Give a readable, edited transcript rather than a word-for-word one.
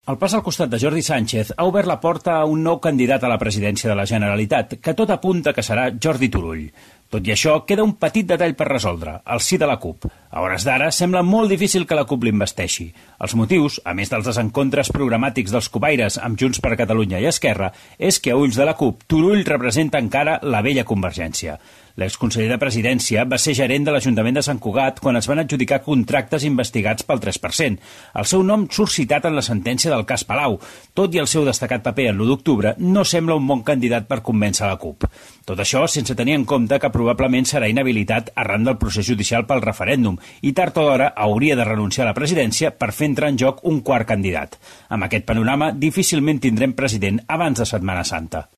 El pas al costat de Jordi Sánchez ha obert la porta a un nou candidat a la presidència de la Generalitat, que tot apunta que serà Jordi Turull. Tot i això, queda un petit detall per resoldre, el sí de la CUP. A hores d'ara, sembla molt difícil que la CUP l'investeixi. Els motius, a més dels desencontres programàtics dels cupaires amb Junts per Catalunya i Esquerra, és que a ulls de la CUP, Turull representa encara la vella Convergència. L'exconseller de Presidència va ser gerent de l'Ajuntament de Sant Cugat quan es van adjudicar contractes investigats pel 3%. El seu nom surt citat en la sentència del cas Palau. Tot i el seu destacat paper en l'1 d'octubre, no sembla un bon candidat per convèncer la CUP. Tot això sense tenir en compte que probablement serà inhabilitat arran del procés judicial pel referèndum i tard o d'hora hauria de renunciar a la presidència per fer entrar en joc un quart candidat. Amb aquest panorama, difícilment tindrem president abans de Setmana Santa.